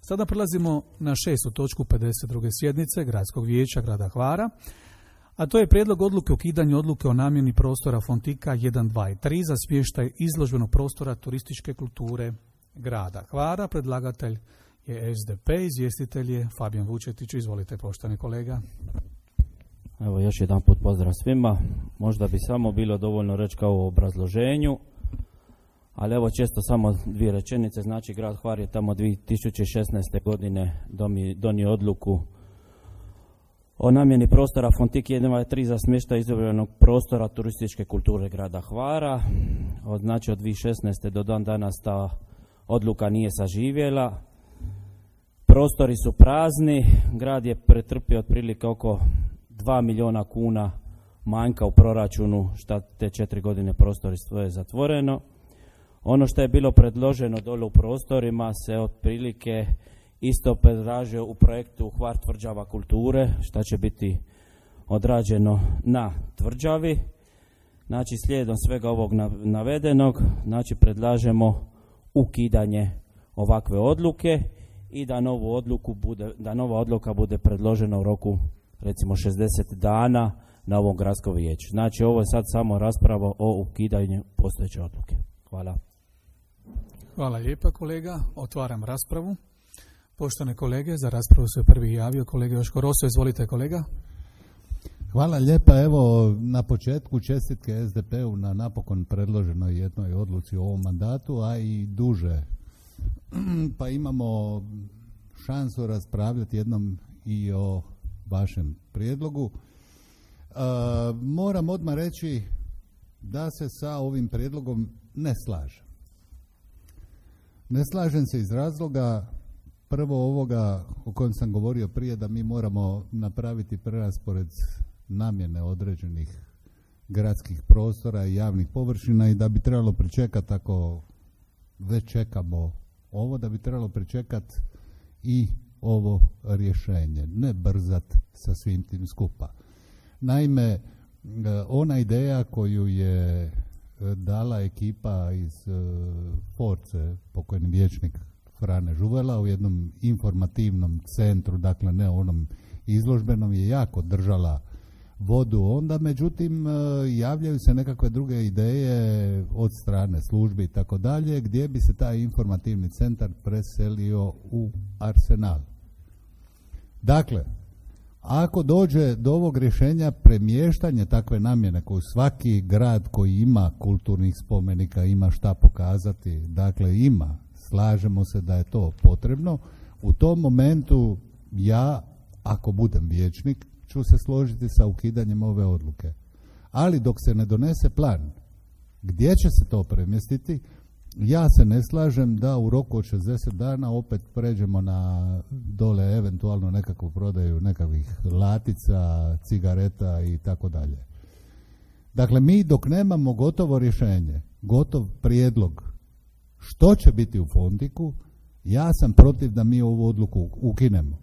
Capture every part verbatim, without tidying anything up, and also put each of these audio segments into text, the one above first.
Sada prelazimo na šestu točku pedeset druge sjednice Gradskog vijeća grada Hvara, a to je prijedlog odluke o ukidanju odluke o namjeni prostora Fontika jedan, dva i tri za smještaj izložbenog prostora turističke kulture grada Hvara. Predlagatelj je S D P, izvjestitelj je Fabijan Vučetić. Izvolite, poštovani kolega. Evo, još jedan put pozdrav svima. Možda bi samo bilo dovoljno reći kao u obrazloženju, ali evo često samo dvije rečenice. Znači, grad Hvar je tamo dvije tisuće šesnaeste. godine donio odluku o namjeni prostora Fontik jedan, dva i tri za smještaj izložbenog prostora turističke kulture grada Hvara. Od, znači, od dvije tisuće šesnaeste. do dan danas ta odluka nije saživjela. Prostori su prazni, grad je pretrpio otprilike oko dva milijuna kuna manjka u proračunu, šta te četiri godine prostori stoje zatvoreno. Ono što je bilo predloženo dole u prostorima se otprilike isto predražio u projektu Hvar tvrđava kulture, šta će biti odrađeno na tvrđavi. Znači, slijedom svega ovog navedenog, znači predlažemo ukidanje ovakve odluke i da novu odluku bude, da nova odluka bude predložena u roku recimo šezdeset dana na ovom gradskom vijeću. Znači, ovo je sad samo rasprava o ukidanju postojeće odluke. Hvala. Hvala lijepa, kolega. Otvaram raspravu. Poštovane kolege, za raspravu se prvi javio kolega Joško Roso. Izvolite, kolega. Hvala lijepa. Evo, na početku čestitke S D P-u na napokon predloženoj jednoj odluci u ovom mandatu, a i duže. Pa imamo šansu raspravljati jednom i o vašem prijedlogu. E, moram odmah reći da se sa ovim prijedlogom ne slažem. Ne slažem se iz razloga prvo ovoga o kojem sam govorio prije, da mi moramo napraviti preraspored namjene određenih gradskih prostora i javnih površina i da bi trebalo pričekati, ako već čekamo ovo, da bi trebalo pričekati i ovo rješenje, ne brzat sa svim tim skupa. Naime, ona ideja koju je dala ekipa iz Force, pokojni vijećnik Frane Žuvela, u jednom informativnom centru, dakle ne onom izložbenom, je jako držala vodu onda, međutim javljaju se nekakve druge ideje od strane službi i tako dalje, gdje bi se taj informativni centar preselio u Arsenal. Dakle, ako dođe do ovog rješenja premještanje takve namjene koju svaki grad koji ima kulturnih spomenika ima šta pokazati, dakle ima, slažemo se da je to potrebno, u tom momentu ja, ako budem vijećnik, ću se složiti sa ukidanjem ove odluke. Ali dok se ne donese plan gdje će se to premjestiti, ja se ne slažem da u roku od šezdeset dana opet pređemo na dole eventualno nekakvu prodaju nekakvih latica, cigareta i tako dalje. Dakle, mi dok nemamo gotovo rješenje, gotov prijedlog što će biti u Fontiku, ja sam protiv da mi ovu odluku ukinemo.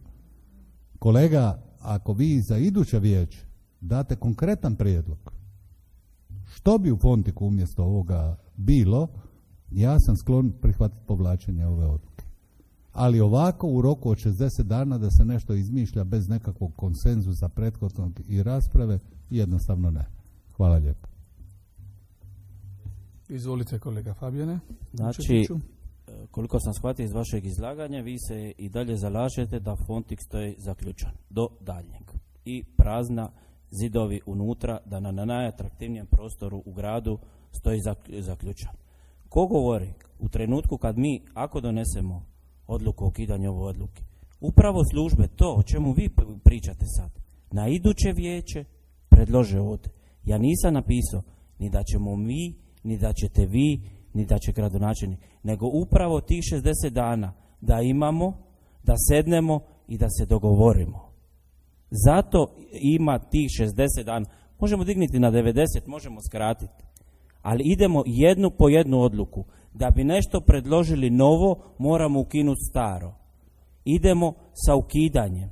Kolega, ako vi za iduće vijeće date konkretan prijedlog što bi u Fontiku umjesto ovoga bilo, ja sam sklon prihvatiti povlačenje ove odluke. Ali ovako u roku od šezdeset dana da se nešto izmišlja bez nekakvog konsenzusa prethodnog i rasprave, jednostavno ne. Hvala lijepo. Izvolite, kolega Fabijane. Znači, koliko sam shvatio iz vašeg izlaganja, vi se i dalje zalažete da Fontik stoji zaključan do daljnjeg i prazna zidovi unutra, da na najatraktivnijem prostoru u gradu stoji zaključan. Ko govori u trenutku kad mi, ako donesemo odluku o ukidanju ove odluke, upravo službe, to o čemu vi pričate sad, na iduće vijeće predlože ovdje. Ja nisam napisao ni da ćemo mi, ni da ćete vi, ni da će gradonačelnik, nego upravo tih šezdeset dana da imamo, da sednemo i da se dogovorimo. Zato ima tih šezdeset dana. Možemo dignuti na devedeset, možemo skratiti. Ali idemo jednu po jednu odluku. Da bi nešto predložili novo, moramo ukinuti staro. Idemo sa ukidanjem.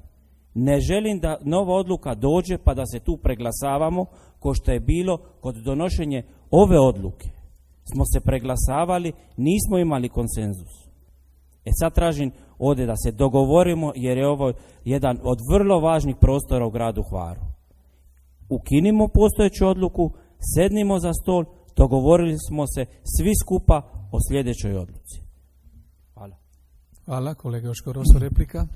Ne želim da nova odluka dođe pa da se tu preglasavamo, ko što je bilo kod donošenja ove odluke. Smo se preglasavali, nismo imali konsenzus. E sad tražim ovdje da se dogovorimo, jer je ovo jedan od vrlo važnih prostora u gradu Hvaru. Ukinimo postojeću odluku, sednimo za stol, dogovorili smo se svi skupa o sljedećoj odluci. Hvala. Hvala, kolega Joško Roso, replika.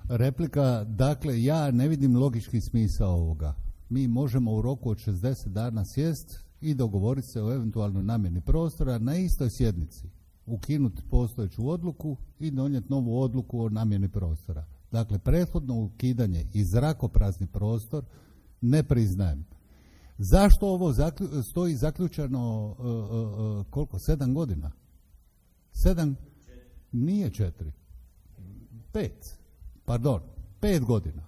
Replika, dakle, ja ne vidim logički smisao ovoga. Mi možemo u roku od šezdeset dana sjest i dogovoriti se o eventualnoj namjeni prostora na istoj sjednici. Ukinuti postojeću odluku i donijeti novu odluku o namjeni prostora. Dakle, prethodno ukidanje i zrakoprazni prostor ne priznajem. Zašto ovo zaklju, stoji zaključano uh, uh, uh, koliko? Sedam godina? Sedam? Nije četiri. Pet. Pardon. Pet godina.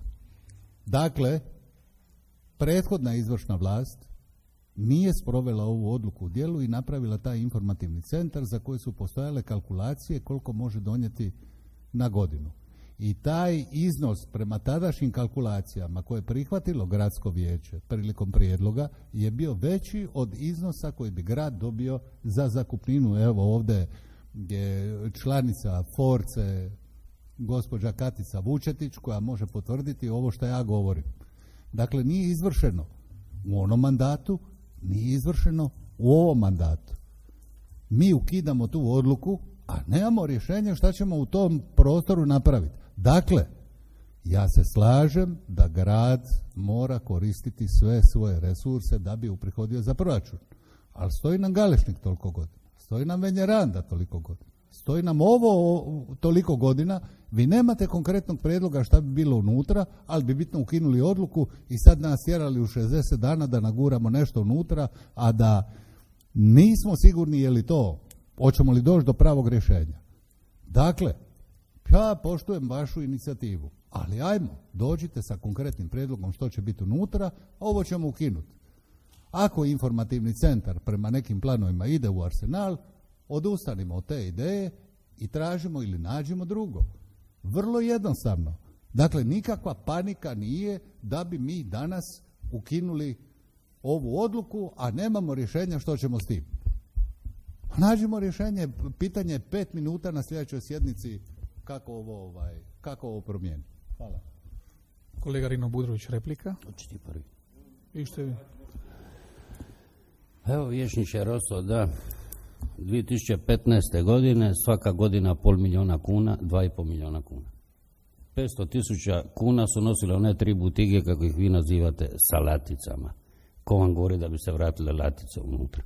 Dakle, prethodna izvršna vlast nije sprovela ovu odluku u djelu i napravila taj informativni centar za koji su postojale kalkulacije koliko može donijeti na godinu. I taj iznos prema tadašnjim kalkulacijama koje je prihvatilo gradsko vijeće prilikom prijedloga je bio veći od iznosa koji bi grad dobio za zakupninu. Evo ovdje je članica Force gospođa Katica Vučetić koja može potvrditi ovo što ja govorim. Dakle, nije izvršeno u onom mandatu, nije izvršeno u ovom mandatu. Mi ukidamo tu odluku, a nemamo rješenja šta ćemo u tom prostoru napraviti. Dakle, ja se slažem da grad mora koristiti sve svoje resurse da bi uprihodio za proračun. Ali stoji nam Galešnik toliko godina, stoji nam Venjeranda toliko godina, stoji nam ovo toliko godina, vi nemate konkretnog prijedloga šta bi bilo unutra, ali bi bitno ukinuli odluku i sad nas tjerali u šezdeset dana da naguramo nešto unutra, a da nismo sigurni je li to, hoćemo li doći do pravog rješenja. Dakle, ja poštujem vašu inicijativu, ali ajmo, dođite sa konkretnim prijedlogom što će biti unutra, ovo ćemo ukinuti. Ako informativni centar prema nekim planovima ide u Arsenal, odustanimo od te ideje i tražimo ili nađemo drugo. Vrlo jednostavno. Dakle, nikakva panika nije da bi mi danas ukinuli ovu odluku, a nemamo rješenja što ćemo s tim. Nađimo rješenje, pitanje je pet minuta na sljedećoj sjednici kako ovo, ovaj, kako ovo promijeniti. Hvala. Kolega Rino Budrović, replika. Očiti prvi. I što je? Evo, vječniče Roso, da, dvije tisuće petnaeste. godine svaka godina pol milijuna kuna, dva i pol milijuna kuna. petsto tisuća kuna su nosile one tri butige, kako ih vi nazivate, sa laticama. Ko vam govori da bi se vratile latice unutra?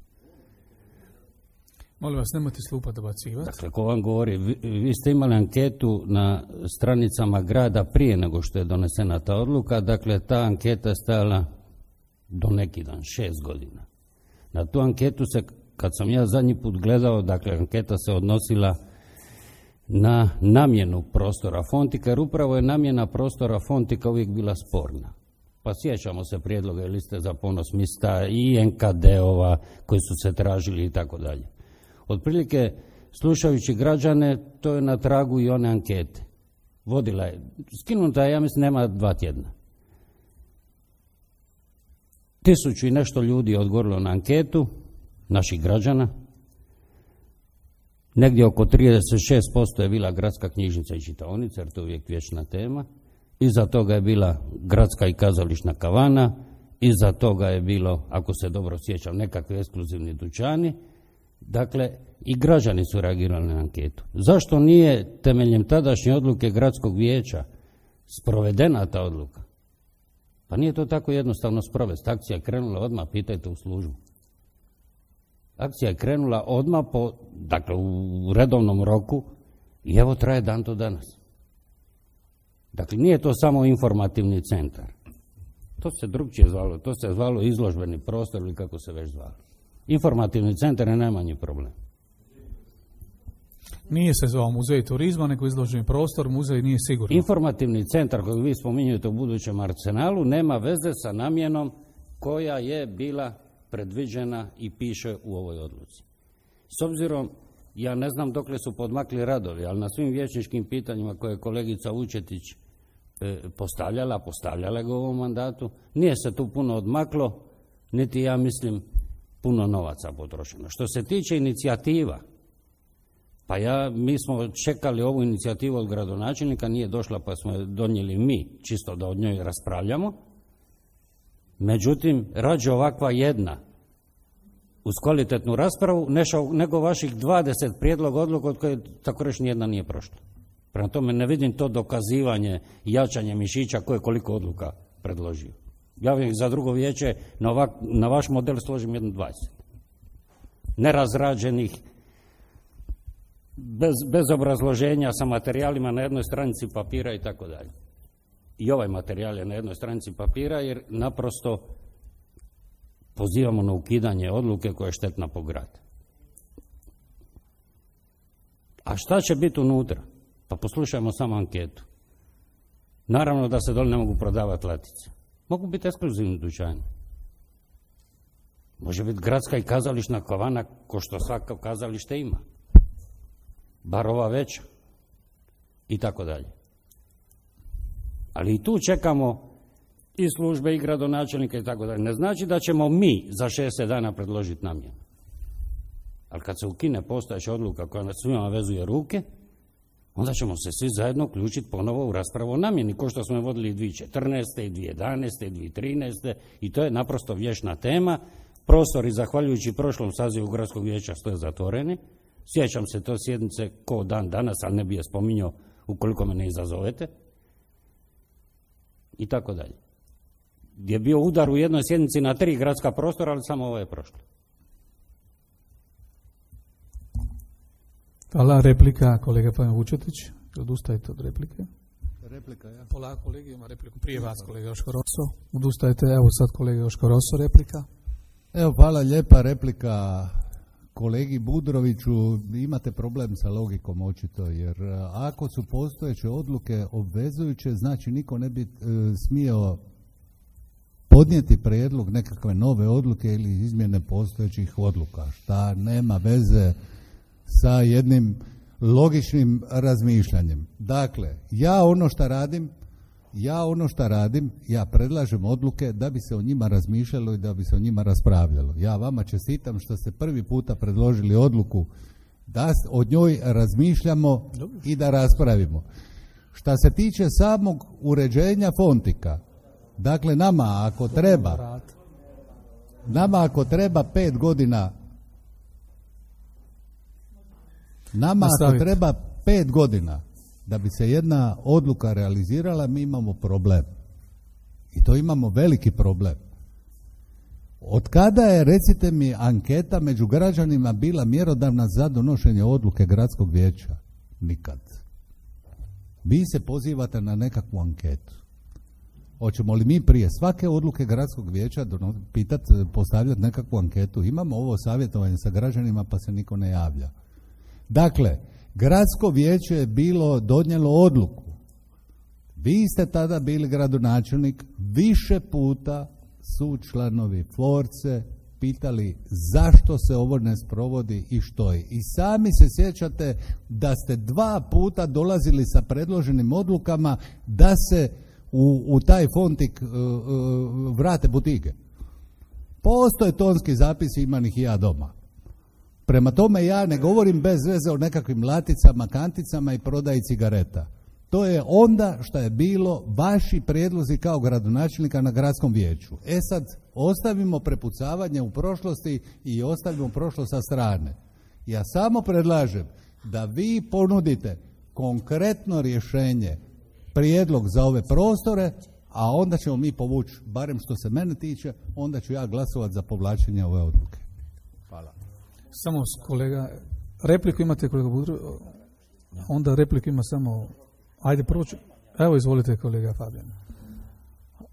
Molim vas, nemojte slupa dobacivati. Dakle, ko vam govori, vi, vi ste imali anketu na stranicama grada prije nego što je donesena ta odluka, dakle, ta anketa je stajala do neki dan, šest godina. Na tu anketu se, kad sam ja zadnji put gledao, dakle, anketa se odnosila na namjenu prostora Fontika, jer upravo je namjena prostora Fontika uvijek bila sporna. Pa sjećamo se prijedloga i liste za ponos mista i en ka de-ova koji su se tražili i tako dalje. Otprilike, slušajući građane, to je na tragu i one ankete. Vodila je, skinuta je, ja mislim, nema dva tjedna. Tisuću i nešto ljudi je odgovorilo na anketu, naših građana. Negdje oko trideset šest posto je bila gradska knjižnica i čitaonica, jer to je uvijek vječna tema. Iza toga je bila gradska i kazališna kavana. Iza toga je bilo, ako se dobro sjećam, nekakvi ekskluzivni dućani. Dakle, i građani su reagirali na anketu. Zašto nije temeljem tadašnje odluke gradskog vijeća sprovedena ta odluka? Pa nije to tako jednostavno sprovesti. Akcija je krenula odmah, pitajte u službu. Akcija je krenula odmah, po, dakle u redovnom roku, i evo traje dan do danas. Dakle, nije to samo informativni centar. To se drugčije zvalo, to se zvalo izložbeni prostor ili kako se već zvalo. Informativni centar je najmanji problem. Nije se zvao muzej turizma, nego izloženi prostor, muzej nije sigurno. Informativni centar koji vi spominjujete u budućem Arsenalu nema veze sa namjenom koja je bila predviđena i piše u ovoj odluci. S obzirom, ja ne znam dokle su podmakli radovi, ali na svim vijećničkim pitanjima koje je kolegica Vučetić e, postavljala, postavljala ga u ovom mandatu, nije se tu puno odmaklo, niti ja mislim puno novaca potrošeno. Što se tiče inicijativa, Pa ja, mi smo čekali ovu inicijativu od gradonačelnika, nije došla pa smo je donijeli mi, čisto da od njoj raspravljamo. Međutim, rađe ovakva jedna uz kvalitetnu raspravu nešao, nego vaših dvadeset prijedloga odluka od koje tako reći nijedna nije prošla. Prema tome ne vidim to dokazivanje i jačanje mišića ko je koliko odluka predložio. Ja bih za drugo vijeće na, ovak, na vaš model složim jedno dvadeset. Nerazrađenih, bez, bez obrazloženja, sa materijalima na jednoj stranici papira i tako dalje. I ovaj materijal je na jednoj stranici papira jer naprosto pozivamo na ukidanje odluke koja je štetna po grad. A šta će biti unutra? Pa poslušajmo samo anketu. Naravno da se dole ne mogu prodavati latice. Mogu biti ekskluzivni dućani. Može biti gradska i kazališna kavana ko što svaka kazalište ima. Bar ova veća. I tako dalje. Ali i tu čekamo i službe i gradonačelnika i tako dalje. Ne znači da ćemo mi za šezdeset dana predložiti namjenu. Ali kad se ukine postojeća odluka koja nas svima vezuje ruke, onda ćemo se svi zajedno uključiti ponovo u raspravu o namjeni, ko što smo je vodili i dvije tisuće četrnaeste, i dvije tisuće jedanaeste, i dvije tisuće trinaeste i to je naprosto vječna tema. Prostori, zahvaljujući prošlom sazivu gradskog vijeća, stoje zatvoreni. Sjećam se to sjednice ko dan danas, ali ne bi je spominjao ukoliko me ne izazovete. I tako dalje. Je bio udar u jednoj sjednici na tri gradska prostora, ali samo ovo je prošlo. Hvala. Replika, kolega Pavel Vučetić. Odustajete od replike? Replika, ja. Polako, kolega ima repliku. Prije vas, kolega Joško Rosso. Odustajete, evo sad kolega Joško Rosso, replika. Evo, hvala lijepa, replika kolegi Budroviću. Imate problem sa logikom očito, jer ako su postojeće odluke obvezujuće, znači niko ne bi e, smio podnijeti prijedlog nekakve nove odluke ili izmjene postojećih odluka, šta nema veze sa jednim logičnim razmišljanjem. Dakle, ja ono što radim, ja ono što radim, ja predlažem odluke da bi se o njima razmišljalo i da bi se o njima raspravljalo. Ja vama čestitam što ste prvi puta predložili odluku da o njoj razmišljamo i da raspravimo. Šta se tiče samog uređenja Fontika, dakle nama ako treba, nama ako treba pet godina Nama ako treba pet godina da bi se jedna odluka realizirala, mi imamo problem. I to imamo veliki problem. Od kada je, recite mi, anketa među građanima bila mjerodavna za donošenje odluke gradskog vijeća? Nikad. Vi se pozivate na nekakvu anketu. Hoćemo li mi prije svake odluke gradskog vijeća pitati, postavljati nekakvu anketu? Imamo ovo savjetovanje sa građanima pa se niko ne javlja. Dakle, gradsko vijeće je bilo donijelo odluku. Vi ste tada bili gradonačelnik, više puta su članovi Force pitali zašto se ovo ne sprovodi i što je. I sami se sjećate da ste dva puta dolazili sa predloženim odlukama da se u, u taj Fontik uh, uh, vrate butike. Postoje tonski zapisi, imam ih i ja doma. Prema tome ja ne govorim bez veze o nekakvim laticama, kanticama i prodaji cigareta. To je onda što je bilo vaši prijedlozi kao gradonačelnika na gradskom vijeću. E sad, ostavimo prepucavanje u prošlosti i ostavimo prošlost sa strane. Ja samo predlažem da vi ponudite konkretno rješenje, prijedlog za ove prostore, a onda ćemo mi povući, barem što se mene tiče, onda ću ja glasovati za povlačenje ove odluke. Hvala. Samo kolega, repliku imate kolega Budro, onda repliku ima samo, ajde prvo ću, evo izvolite kolega Fabijan.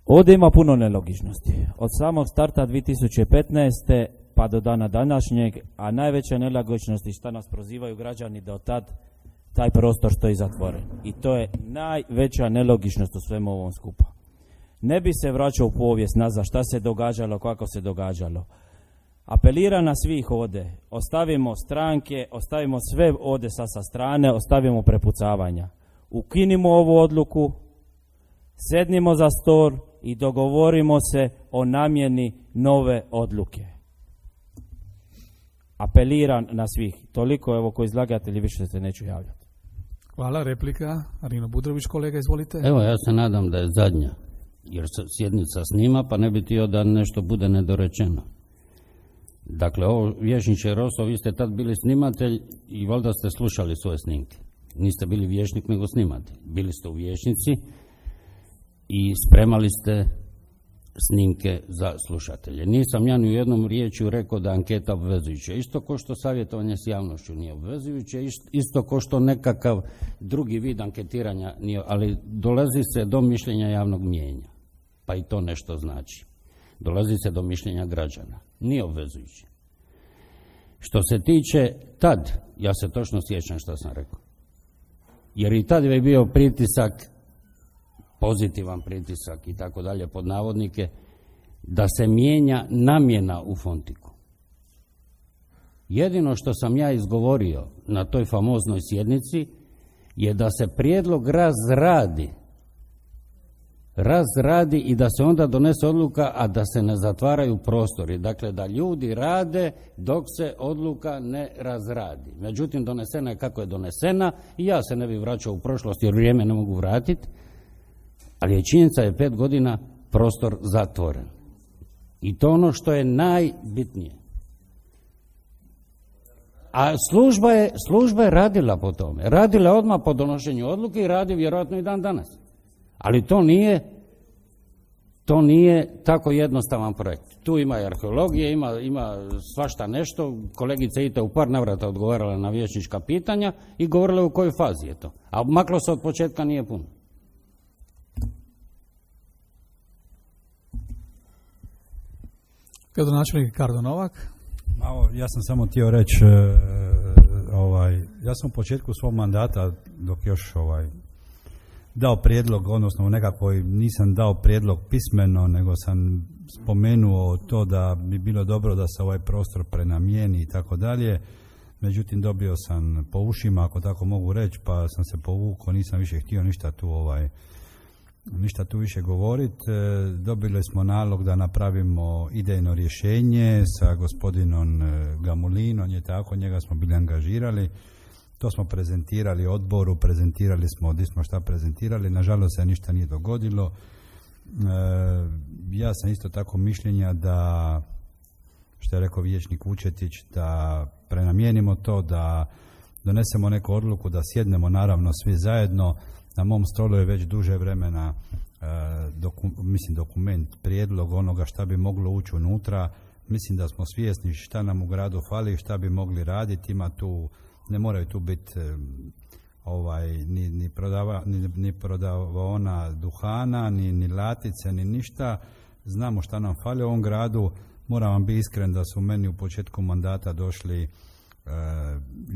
Ovdje ima puno nelogičnosti. Od samog starta dvije tisuće petnaeste pa do dana današnjeg, a najveća nelogičnosti šta nas prozivaju građani da od tad taj prostor stoji zatvoren. I to je najveća nelogičnost u svemu ovom skupa. Ne bi se vraćao u povijest nazad šta se događalo, kako se događalo. Apelira na svih ovdje, ostavimo stranke, ostavimo sve ovdje sa, sa strane, ostavimo prepucavanja. Ukinimo ovu odluku, sednimo za stol i dogovorimo se o namjeni nove odluke. apeliram na svih. Toliko, evo, ko izlagatelji, više se neću javljati. Hvala, replika. Arino Budrović, kolega, izvolite. Evo, ja se nadam da je zadnja, jer se sjednica snima, pa ne bi htio da nešto bude nedorečeno. Dakle, ovo, vijećniče Roso, vi ste tad bili snimatelj i valjda ste slušali svoje snimke. Niste bili vijećnik, nego snimatelj. Bili ste u vijećnici i spremali ste snimke za slušatelje. Nisam ja ni u jednom riječju rekao da je anketa obvezujuća. Isto ko što savjetovanje s javnošću nije obvezujuće, isto ko što nekakav drugi vid anketiranja nije, ali dolazi se do mišljenja javnog mijenja. Pa i to nešto znači. Dolazi se do mišljenja građana. Nije obvezujuće. Što se tiče tad, ja se točno sjećam što sam rekao. Jer i tad je bio pritisak, pozitivan pritisak i tako dalje pod navodnike, da se mijenja namjena u Fontiku. Jedino što sam ja izgovorio na toj famoznoj sjednici je da se prijedlog razradi. Razradi i da se onda donese odluka, a da se ne zatvaraju prostori. Dakle, da ljudi rade dok se odluka ne razradi. Međutim, donesena je kako je donesena i ja se ne bi vraćao u prošlost jer vrijeme ne mogu vratiti, ali je činjenica je pet godina prostor zatvoren. I to ono što je najbitnije. A služba je, služba je radila po tome. Radila je odmah po donošenju odluke i radi vjerojatno i dan danas. Ali to nije, to nije tako jednostavan projekt. Tu ima i arheologije, ima, ima svašta nešto. Kolegica Ita u par navrata odgovarala na vijećnička pitanja i govorila u kojoj fazi je to. A maklo se od početka nije puno. Gradonačelnik Ricardo Novak. Malo, ja sam samo htio reći, ovaj, ja sam u početku svog mandata, dok još ovaj, dao prijedlog, odnosno u nekakvoj, nisam dao prijedlog pismeno, nego sam spomenuo to da bi bilo dobro da se ovaj prostor prenamijeni i tako dalje. Međutim, dobio sam po ušima, ako tako mogu reći, pa sam se povukao, nisam više htio ništa tu ovaj, ništa tu više govoriti. Dobili smo nalog da napravimo idejno rješenje sa gospodinom Gamulinom, je tako, njega smo bili angažirali. To smo prezentirali odboru, prezentirali smo, gdje smo šta prezentirali, nažalost se ništa nije dogodilo. E, ja sam isto tako mišljenja da, što je rekao vijećnik Vučetić, da prenamijenimo to, da donesemo neku odluku, da sjednemo naravno svi zajedno. Na mom stolu je već duže vremena e, doku, mislim dokument, prijedlog onoga šta bi moglo ući unutra. Mislim da smo svjesni šta nam u gradu fali, šta bi mogli raditi. Ima tu, ne moraju tu biti e, ovaj, ni, ni, prodava, ni, ni prodavaona duhana, ni, ni latice, ni ništa. Znamo šta nam fali u ovom gradu. Moram vam biti iskren da su meni u početku mandata došli e,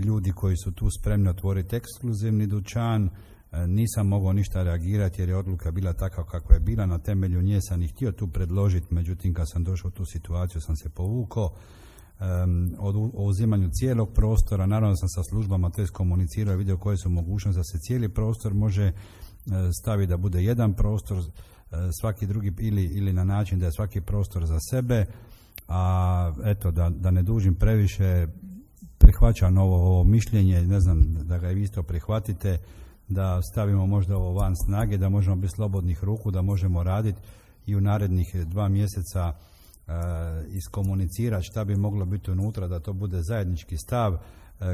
ljudi koji su tu spremni otvoriti ekskluzivni dućan. Nisam mogao ništa reagirati jer je odluka bila takva kakva je bila, na temelju nje sam i htio tu predložiti, međutim kad sam došao u tu situaciju sam se povukao. Um, o uzimanju cijelog prostora, naravno sam sa službama to iskomunicirao i vidio koje su mogućnosti da se cijeli prostor može staviti da bude jedan prostor, svaki drugi ili, ili na način da je svaki prostor za sebe, a eto da, da ne dužim previše, prihvaćam ovo, ovo mišljenje, ne znam da ga i vi isto prihvatite, da stavimo možda ovo van snage, da možemo biti slobodnih ruku, da možemo raditi i u narednih dva mjeseca e, iskomunicirati šta bi moglo biti unutra, da to bude zajednički stav. E,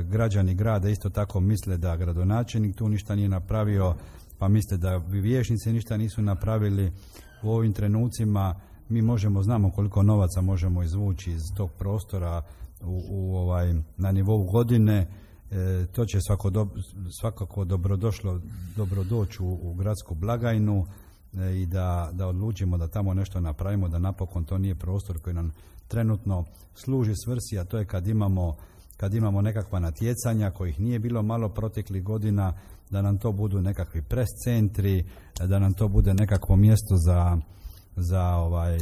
građani grada isto tako misle da gradonačelnik tu ništa nije napravio, pa misle da vijećnici ništa nisu napravili. U ovim trenucima mi možemo, znamo koliko novaca možemo izvući iz tog prostora u, u ovaj, na nivou godine. E, to će svako do, svakako dobrodošlo, dobrodoći u, u gradsku blagajnu e, i da, da odlučimo da tamo nešto napravimo, da napokon to nije prostor koji nam trenutno služi svrsi, a to je kad imamo, kad imamo nekakva natjecanja kojih nije bilo malo proteklih godina, da nam to budu nekakvi pres centri, da nam to bude nekakvo mjesto za, za, ovaj,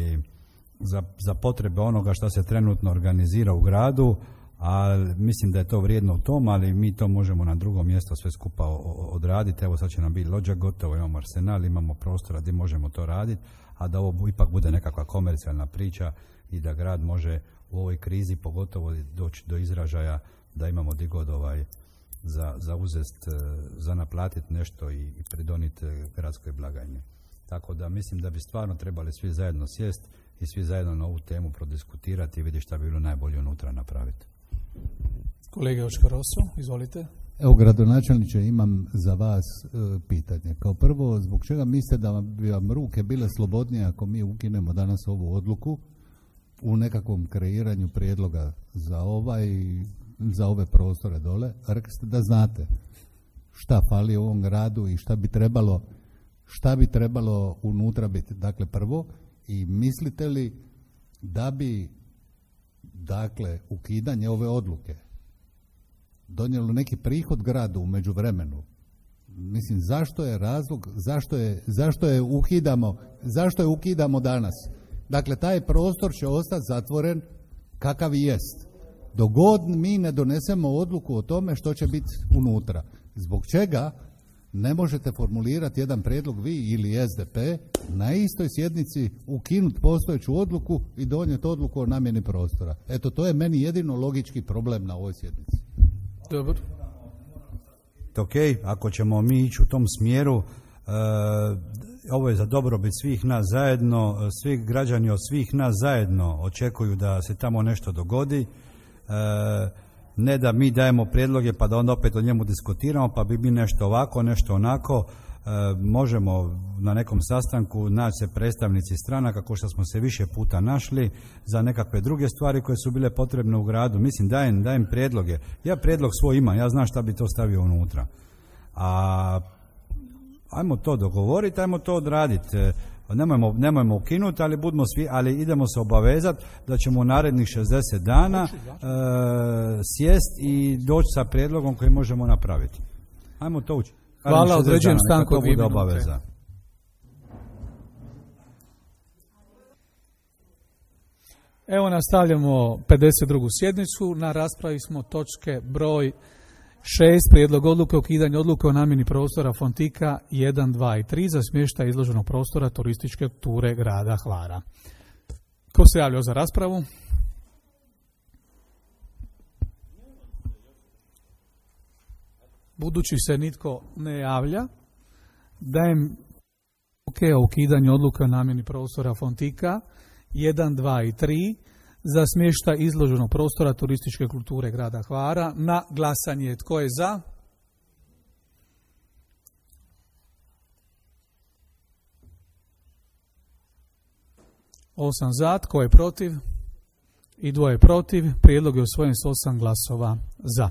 za, za potrebe onoga što se trenutno organizira u gradu. ali mislim da je to vrijedno u tom, ali mi to možemo na drugom mjestu sve skupa odraditi. Evo sad će nam biti lođa gotovo, imamo arsenal, imamo prostora gdje možemo to raditi, a da ovo ipak bude nekakva komercijalna priča i da grad može u ovoj krizi pogotovo doći do izražaja da imamo di god ovaj za, za uzest, za naplatiti nešto i, i pridoniti gradskoj blagajni. Tako da mislim da bi stvarno trebali svi zajedno sjest i svi zajedno na ovu temu prodiskutirati i vidjeti šta bi bilo najbolje unutra napraviti. Kolega Joško Rosso, izvolite. Evo, gradonačelniče, imam za vas e, pitanje. Kao prvo, zbog čega mislite da bi vam ruke bile slobodnije ako mi ukinemo danas ovu odluku u nekakvom kreiranju prijedloga za ovaj, za ove prostore dole? Rekli ste da znate šta fali u ovom gradu i šta bi trebalo, šta bi trebalo unutra biti. Dakle, prvo, i mislite li da bi, dakle, ukidanje ove odluke donijelo neki prihod gradu u međuvremenu? Mislim, zašto je razlog, zašto je, zašto je ukidamo, zašto je ukidamo danas? Dakle, taj prostor će ostati zatvoren kakav i jest. Dok god mi ne donesemo odluku o tome što će biti unutra. Zbog čega ne možete formulirati jedan prijedlog vi ili S D P na istoj sjednici ukinuti postojeću odluku i donijeti odluku o namjeni prostora? Eto, to je meni jedino logički problem na ovoj sjednici. Dobro. Ok, ako ćemo mi ići u tom smjeru, uh, ovo je za dobrobit svih nas zajedno, svi građani od svih nas zajedno očekuju da se tamo nešto dogodi, uh, ne da mi dajemo prijedloge pa da onda opet o njemu diskutiramo, pa bi mi nešto ovako, nešto onako. E, možemo na nekom sastanku naći se predstavnici stranaka, kao što smo se više puta našli, za nekakve druge stvari koje su bile potrebne u gradu. Mislim, dajem, dajem prijedloge. Ja prijedlog svoj imam, ja znam šta bi to stavio unutra. A ajmo to dogovoriti, ajmo to odraditi. Nemojmo, nemojmo ukinuti, ali budemo svi, ali idemo se obavezati da ćemo u narednih šezdeset dana e, sjest i doći sa prijedlogom koji možemo napraviti. Ajmo to učiti. Hvala, određujem stanku od dvije minute. Obaveza. Evo, nastavljamo pedeset drugu sjednicu. Na raspravi smo točke broj šest. Prijedlog odluke o ukidanju odluke o namjeni prostora Fontika jedan, dva i tri za smještaj izloženog prostora turističke ture grada Hvara. Ko se javljao za raspravu? Budući se nitko ne javlja, dajem odluke o ukidanju odluke o namjeni prostora Fontika jedan, dva i tri za smještaj izloženog prostora turističke kulture grada Hvara na glasanje. Tko je za? Osam za. Tko je protiv? I dvoje protiv. Prijedlog je usvojen s osam glasova za.